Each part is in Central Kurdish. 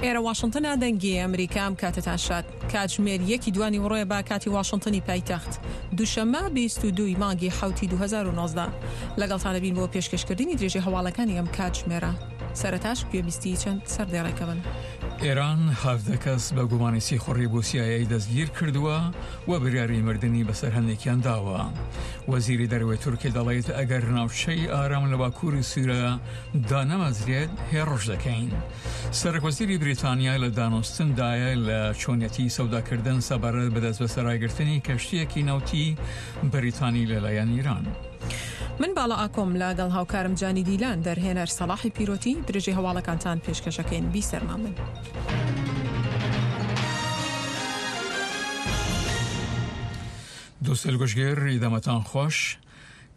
ئێرە واشنتنە دەنگی ئەمریکا ئەم کاتەتان شاد. کاتژمێر یەکی دوانیوەڕۆیە بە کاتی واشنتنی پایتەخت. دووشەممە 22 ی مانگی حەوتی 2019. لەگەڵتان دەبین بۆ پێشکەشکردنی درێژەی هەواڵەکانی ئەم کاتژمێرە. سەرەتاش گوێبیستی چەند سەردێڕێکە بن. ئێران 17 کەس بە گومانی سیخوڕی بۆ سی ئای ئەی دەستگیر کردووە و بریاری مردنی بەسەر هەندێکیان داوە. وەزیری دەرەوەی تورکیا دەڵێت ئەگەر ناوچەی ئارام لە باکووری سووریا دانەمەزرێت هێڕش دەکەین. سەرۆکوەزیری بریتانیا لە دانوستندایە لە چۆنیەتی سەوداکردن سەبارەت بە دەستبەسەراگرتنی کەشتییەکی نەوتی بەریتانی لەلایەن ئیران. من باڵا ئاکۆم لە گەڵ هاوکارم جانی دیلان دەرهێنەر سەڵاحی پیرۆتی درێژەی هەواڵەکانتان پێشکەشەکەین بیسەرمان بن. دووستەیل گوشگر دەمەتان خوەش.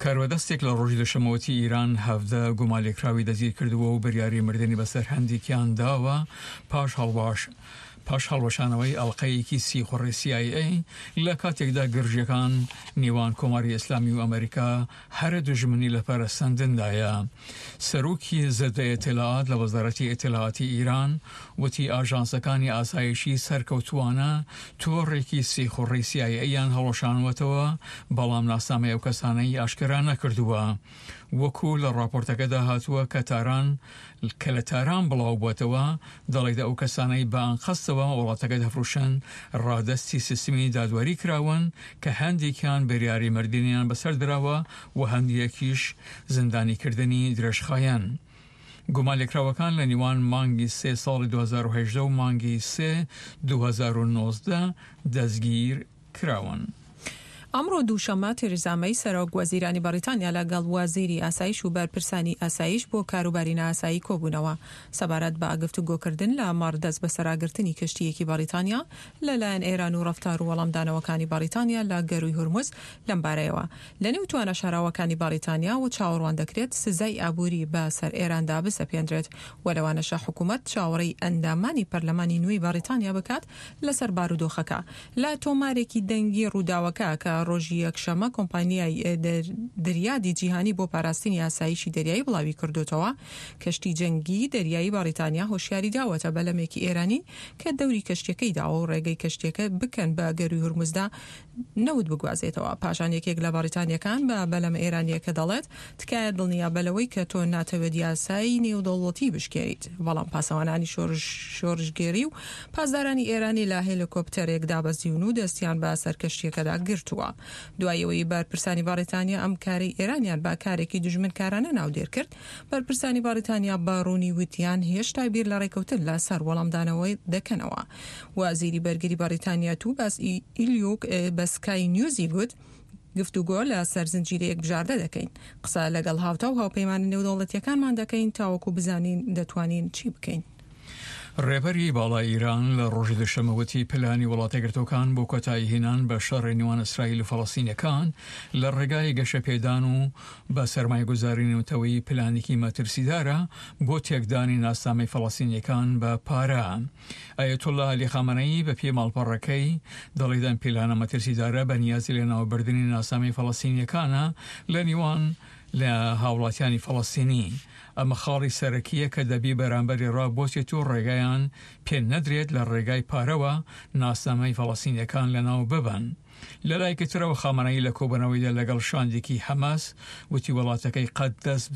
کاروەدەستێک لە ڕۆژی دوشەممە وتی ئیران 17 گومانلێکراوی دەستگیر کردووە و بریاری مردنی بەسەر هەندێکیان داوە پاش هەڵواش پاش هەڵوەشانەوەی ئەڵقەیەکی سیخوڕی سی ئای ئەی لە کاتێکدا گرژیەکان نێوان کۆماری ئیسلامی و ئەمریکا هەرە دوژمنی لە پەرەسەندندایە. سەرۆکی زدە ئیتلاعات لە وەزارەتی ئیتلاعاتی ئیران وتی ئاژانسەکانی ئاسایشی سەرکەوتووانە تۆڕێکی سیخوڕی سی ئای ئەیان هەڵوەشانوەتەوە بەڵام ناسنامەی ئەو کەسانەی ئاشکرا نەکردووە. وەکو لە ڕاپۆرتەکەدا هاتووە کە تاران کە لە تاران بڵاو بووەتەوە دەڵێت ئەو کەسانەی بە ئەنقەستەوە وڵاتەکە دەفروشن ڕادەستی سیستمی دادوەری کراون کە هەندێکیان بریاری مردنیان بەسەر دراوە و هەندێکیش زیندانیکردنی درێژخایەن. گومانلێکراوەکان لە نێوان مانگی سێ ساڵی 2018 و مانگی سێ 2019 دەستگیر کراون. ئەمڕۆ دووشەممە تێریزا مەی سەرۆک وەزیرانی بەڕیتانیا لەگەڵ وەزیری ئاسایش و بەرپرسانی ئاسایش بۆ کاروباری نائاسایی کۆبوونەوە سەبارەت بە گفتوگۆکردن لە مەڕ دەستبەسەراگرتنی کەشتییەکی بەڕیتانیا لەلایەن ئێران و ڕەفتار و وەڵامدانەوەکانی بەڕیتانیا لە گەرووی هورمز لەمبارەیەوە لەنێو توانا شاراوەکانی بەڕیتانیا و چاوەڕوان دەکرێت سزای ئابووری بە سەر ئێراندا بسەپێندرێت و لەوانەشە حکوومەت چاوەڕێی ئەندامانی پەرلەمانی نوێی بەڕیتانیا بکات لەسەر بارودۆخەکە. لە تۆمارێکی دەنگی ڕووداوەکە کە ڕۆژی یەکشەممە کۆمپانیای دریادی جیهانی بۆ پاراستنی ئاسایشی دەریایی بڵاویکردۆتەوە، کەشتی جەنگی دەریایی بەڕیتانیا هۆشیاری داوەتە بەلەمێکی ئێرانی کە دەوری کەشتیەکەی داوە و ڕێگەی کەشتیەکە بکەن بە گەرووی هورمزدا نەوت بگوازێتەوە. پاشان یەکێک لە بەڕیتانییەکان بە بەلەمە ئێرانییەکە دەڵێت، تکایە دڵنیابە لەوەی کە تۆ ناتەوێت یاسای نێودەوڵەتی بشکێنیت. بەڵام پاسەوانانی شۆرشگێری و پاسدارانی ئێرانی لە هێلیکۆپتەرێک دابەزیون و دەستیان بە سەر کەشتییەکەدا گرتووە. دوای ئەوەی بەرپرسانی بەڕیتانیا ئەم کارەی ئێرانیان بە کارێکی دوژمنکارانە ناودێر کرد، بەرپرسانی بەڕیتانیا بە ڕوونی وتیان هێشتا بیر لە ڕێکەوتن لە سەر وەڵامدانەوە دەکەنەوە. وەزیری بەرگری بەڕیتانیا توباس ئیلیوک بە سکای نیوزی گوت، گفتوگۆ لە سەر زنجیرەیەک بژاردە دەکەین. قسە لەگەڵ هاوتا و هاوپەیمانە نێودەوڵەتییەکانمان دەکەین تاوەکو بزانین دەتوانین چی بکەین. ڕێبەری باڵای ئیران لە ڕۆژی دوشەممە وتی پلانی وڵاتەیەکگرتووەکان بۆ کۆتایی هێنان بە شەڕی نێوان ئیسرائیل و فەڵەستینیەکان لە ڕێگای گەشەپێدان و بە سەرمایەگوزاری نێونەتەوەیی پلانێکی مەترسیدارە بۆ تێکدانی ناسنامەی فەڵەستینیەکان بە پارە. ئایەتوڵا عەلی خامەنەیی بە پێی ماڵپەڕەکەی دەڵێت ئەم پیلانە مەترسیدارە بە نیازی لەناوبردنی ناسنامەی فەڵەستینیەکانە لە نێوان لە هاوڵاتیانی فەڵەستینی. ئەمە خاڵی سەرەکییە کە دەبی بەرامبەری ڕابوەستێت و ڕێگایان پێ نەدرێت لە ڕێگای پارەوە ناسنامەی فەڵەستینیەکان لەناو ببەن. لە لایەکی ترەوە خامەنەیی لە کۆبوونەوەیدا لەگەڵ شاندێکی حەماس وتی وڵاتەکەی قەت دەست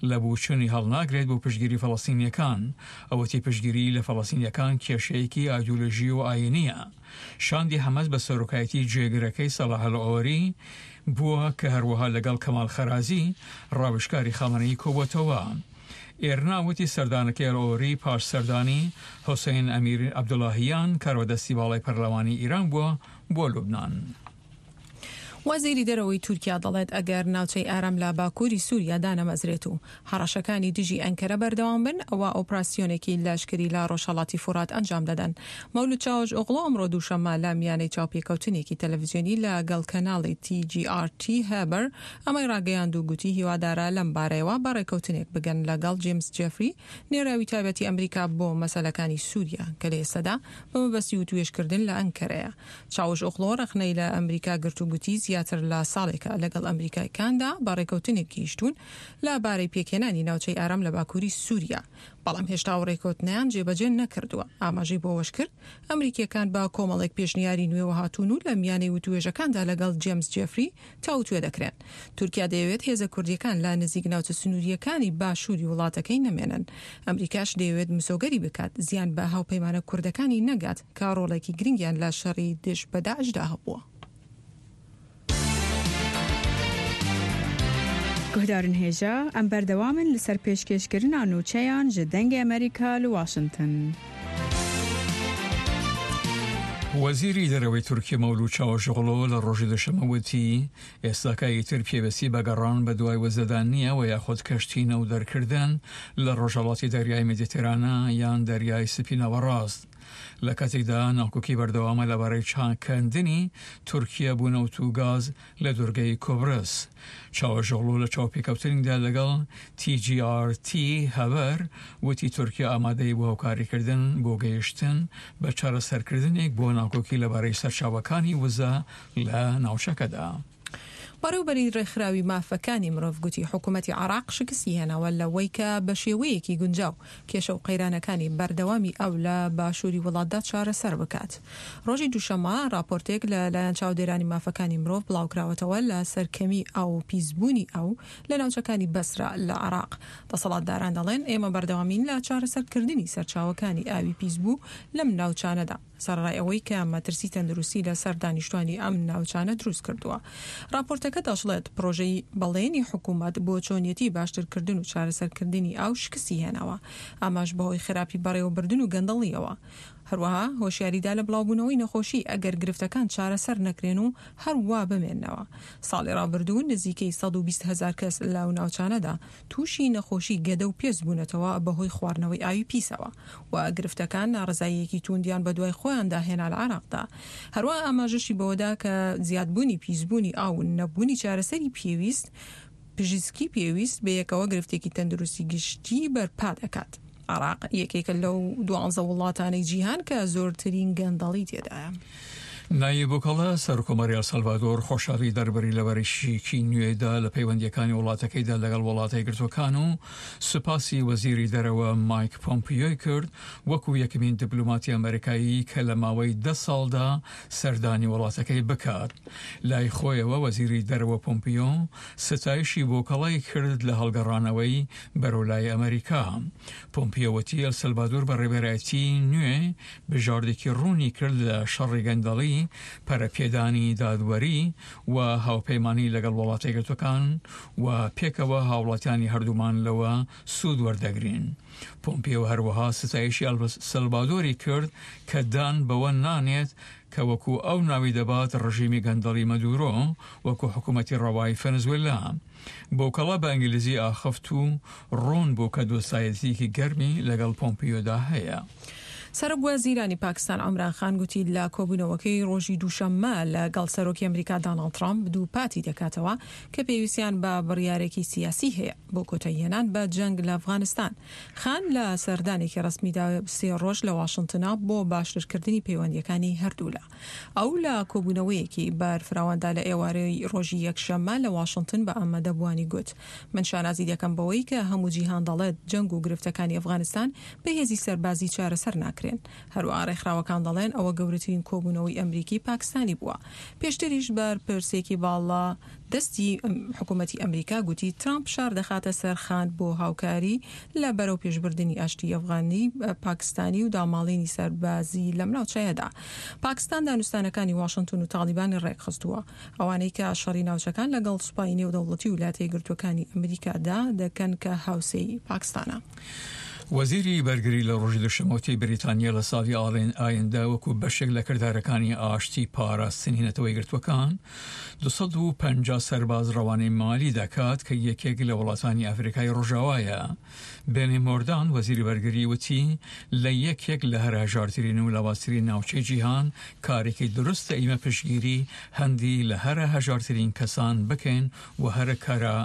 لە بووچونی هەڵناگرێت بۆ پشتگیری فەڵەستینیەکان. ئەو وتی پشتگیری لە فەڵەستینیەکان کێشەیەکی ئایدۆلۆژی و ئایینیە. شاندی حەماس بە سەرۆکایەتی جێگرەکەی سەڵاح ئەلعۆری بووە کە هەروەها لەگەڵ کەمال خەرازی ڕاوێژکاری خامەنەیی کۆبووەتەوە. ئێرنا وتی سەردانەکەی ئەلعۆری پاش سەردانی حوسەین ئەمیر عەبدوڵاهیان کاروەدەستی باڵای پەرلەمانی ئیران بووە بۆ لوبنان. وەزیری دەرەوەی تورکیا دەڵێت ئەگەر ناوچەی ئارام لە باکووری سووریا دانەمەزرێت و هەڕەشەکانی دژی ئەنکەرە بەردەوام بن، ئەوا ئۆپراسیۆنێکی لەشکری لە ڕۆژهەڵاتی فورات ئەنجام دەدەن. مەولود چاوش ئۆغڵۆ ئەمڕۆ دووشەممە لە میانەی چاوپێکەوتنێکی تەلەڤزیۆنی لە گەڵ کەناڵی تی جی ئاڕ تی هەبەر ئەمەی ڕاگەیاند و گوتی هیوادارە لەم بارەیەوە بە ڕێککەوتنێک بگەن لە گەڵ جیمس جێفری نێراوی تایبەتی ئەمریکا بۆ مەسەلەکانی سووریا کە لە ئێستەدا بە مەبەستی وتوێژکردن لە ئەنکەرەیە. چاوش ئۆغڵۆ ڕەخنەی لە ئەمریکا گرت و گوتی زیاتر. زیاتر لە ساڵێکە لەگەڵ ئەمریکایکاندا بە ڕێکەوتنێک گەیشتوون لە بارەی پێکهێنانی ناوچەی ئارام لە باکووری سووریا، بەڵام هێشتا ئەو ڕێکەوتنەیان جێبەجێ نەکردووە. ئاماژەی بۆوەشکرد، ئەمریکییەکان بە کۆمەڵێک پێشنیاری نوێوە هاتوون و لە میانەی وتووێژەکاندا لەگەڵ جێمس جێفری تاوتوێ دەکرێن. تورکیا دەیەوێت هێزە کوردییەکان لە نزیک ناوچە سنوورییەکانی باشووری وڵاتەکەی نەمێنن. ئەمریکاش دەیەوێت مسۆگەری بکات زیان بە هاوپەیمانە کوردەکانی نەگات کە ڕۆڵێکی گرنگیان لە شەڕی دژ بە داعشدا هەبووە. Guhdarên hêja, em berdewam in li ser pêşkêşkirina nûçeyan ji Dengê Amerîka li Washington. وەزیری دەرەوەی تورکیە مەولود چاوشئۆغڵۆ لە ڕۆژی دوشەممە وتی، ئێستاکە ئیتر پێویستی بە گەڕان بە دوای وزەدا نییە و یاخود کەشتی نەوت دەرکردن لە ڕۆژهەڵاتی دەریای مێدیتێرانە یان دەریای سپی ناوەڕاست. لە کاتێکدا ناکۆکی بەردەوامە لەبارەی چاککردنی تورکیە بۆ نەوت و گاز لە دورگەی کوبرس. چاوشئۆغڵو لە چاوپێکەوتنیدا لەگەڵ تی جی ئاڕ تی هەبەر وتی تورکیا ئامادەیە بۆ هاوکاریکردن بۆ گەیشتن بە چارەسەرکردنێک بۆ ناکۆکی لەبارەی سەرچاوەکانی وزە لە ناوچەکەدا. بەڕێوبەری ڕێکخراوی مافەکانی مرۆڤ گوتی حکومەتی عێراق شکستی هێناوە لەوەی کە بەشێوەیەکی گونجاو کێشە و قەیرانەکانی بەردەوامی ئاو لە باشووری وڵاتدا چارەسەر بکات. ڕۆژی دووشەممە ڕاپۆرتێک لە لایەن چاودێرانی مافەکانی مرۆڤ بڵاوکراوەتەوە لە سەر کەمی ئاو و پیسبوونی ئاو لە ناوچەکانی بەسرە لە عێراق. دەسەڵاتداران دەڵێن ئێمە بەردەوامین لە چارەسەرکردنی سەرچاوەکانی ئاوی پیسبوو لەم ناوچانەدا. سەرەڕای ئەوەی کە مەترسی تەندروستی لەسەر دانیشتوانی ئەم ناوچانە دروست کردووە. ڕاپۆرتەکە دەشڵێت، پڕۆژەی بەڵێنی حکوومەت بۆ چۆنیەتی باشترکردن و چارەسەرکردنی ئاو شکستی هێناوە، ئەمەش بەهۆی خراپی بەڕێوەبردن و گەندەڵییەوە. هەروەها هۆشیاری دا لە بڵاوبوونەوەی نەخۆشی ئەگەر گرفتەکان چارەسەر نەکرێن و هەر وا بمێننەوە. ساڵی ڕابردوو نزیکەی 120 هەزار کەس لەو ناوچانەدا تووشی نەخۆشی گەدە و پێست بوونەتەوە بەهۆی خواردنەوەی ئاوی پیسەوە و گرفتەکان ناڕەزاییەکی تووندیان بەدوای خۆیاندا هێنا لە عێراقدا. هەروەها ئاماژەشی بەوەدا کە زیادبوونی پیسبوونی ئاو و نەبوونی چارەسەری پێویست پزیشکی پێویست بەیەکەوە گرفتێکی تەندروستی گشتی بەرپا دەکات. عێراق یەکێکە لەو دوانزە وڵاتانەی جیهان کە زۆرترین گەندەڵی تێدایە. نایب بوکەڵە، سەرکۆماری ئەلسەلڤادۆر خۆشحاڵی دەربڕی لە بەرشیکی نوێدا لە پەیوەندییەکانی وڵاتەکەیدا لەگەڵ وڵاتە یەکگرتووەکان و سوپاسی وەزیری دەرەوە مایک پۆمپیۆی کرد وەکو یەکەمین دیپلۆماتی ئەمەریکایی کە لە ماوەی دە ساڵدا سەردانی وڵاتەکەی بکات. لای خۆیەوە وەزیری دەرەوە پۆمپیۆ ستایشی بوکەڵەی کرد لە هەڵگەڕانەوەی بەرەو لای ئەمەریکا. پۆمپیۆ وتی ئەلسەلڤادۆر بە ڕێبەرایەتی نوێ بژاردێکی ڕوونی کرد لە شەڕی گەندەڵی، پەرەپێدانی دادوەری و هاوپەیمانی لەگەڵ وڵاتە یەکگرتووەکان و پێکەوە هاوڵاتیانی هەردوومان لەوە سوود وەردەگرین. پۆمپیۆ هەروەها ستایشی ئەلسەلڤادۆری کرد کە دان بەوە نانێت کە وەکو ئەو ناوی دەبات ڕژیمی گەندەڵی مەدورۆ وەکو حکومەتی ڕەوای فەنزوێلا. بوکەڵە بە ئینگلیزی ئاخفت و ڕوون بوو کە دۆستایەتییەکی گەرمی لەگەڵ پۆمپیۆدا هەیە. سەرۆک وەزیرانی پاکستان عومران خان گوتی لە کۆبوونەوەکەی ڕۆژی دووشەممە لە گەڵ سەرۆکی ئەمریکا داناڵد ترامپ دووپاتی دەکاتەوە کە پێویستیان بە بڕیارێکی سیاسی هەیە بۆ کۆتاییهێنان بە جەنگ لە ئەفغانستان. خان لە سەردانێکی ڕەسمیدا سێ ڕۆژ لە واشنتنە بۆ باشترکردنی پەیوەندییەکانی هەردوولا. ئەو لە کۆبوونەوەیەکی بەرفراواندا لە ئێوارەی ڕۆژی یەکشەممە لە واشنتن بە ئامادەبووانی گوت، من شانازی دەکەم بەوەی کە هەموو جیهان دەڵێت جەنگ و گرفتەکانی ئەفغانستان بە هێزی سەربازی چارەسەر ناکرێن. هەروەها ڕێکخراوەکان دەڵێن ئەوە گەورەترین کۆبوونەوەی ئەمریکی پاکستانی بووە. پێشتریش بەرپرسێکی باڵا دەستی حکوومەتی ئەمریکا گوتی ترامپ فشار دەخاتە سەر خان بۆ هاوکاری لە بەرەوپێشبردنی ئاشتی ئەفغانی پاکستانی و داماڵینی سەربازی لەم ناوچەیەدا. پاکستان دانوستانەکانی واشنتن و تاڵیبانی ڕێکخستووە، ئەوانەی کە شەڕی ناوچەکان لەگەڵ سوپای نێودەوڵەتی و ولاتە یەکگرتووەکانی ئەمریکادا دەکەن کە هاوسێی پاکستانە. وەزیری بەرگری لە ڕۆژی دووشەممە وتی بریتانیا لە ساڵی ئایندە وەکو بەشێک لە کردارەکانی ئاشتی پاراستنی نەتەوە یەکگرتووەکان 250 سەرباز ڕەوانەی مالی دەکات کە یەکێک لە وڵاتانی ئەفریکای ڕۆژاوایە. بێنی مۆردان وەزیری بەرگری وتی لە یەکێک لە هەرە هەژارترین و لاوازترین ناوچەی جیهان کارێکی دروستە ئیمە پشتگیری هەندی لە هەرە هەژارترین کەسان بکەین و هەرە کارە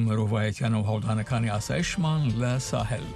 مرۆڤایەتیانە و هەوڵدانەکانی ئاسایشمان لە ساحل.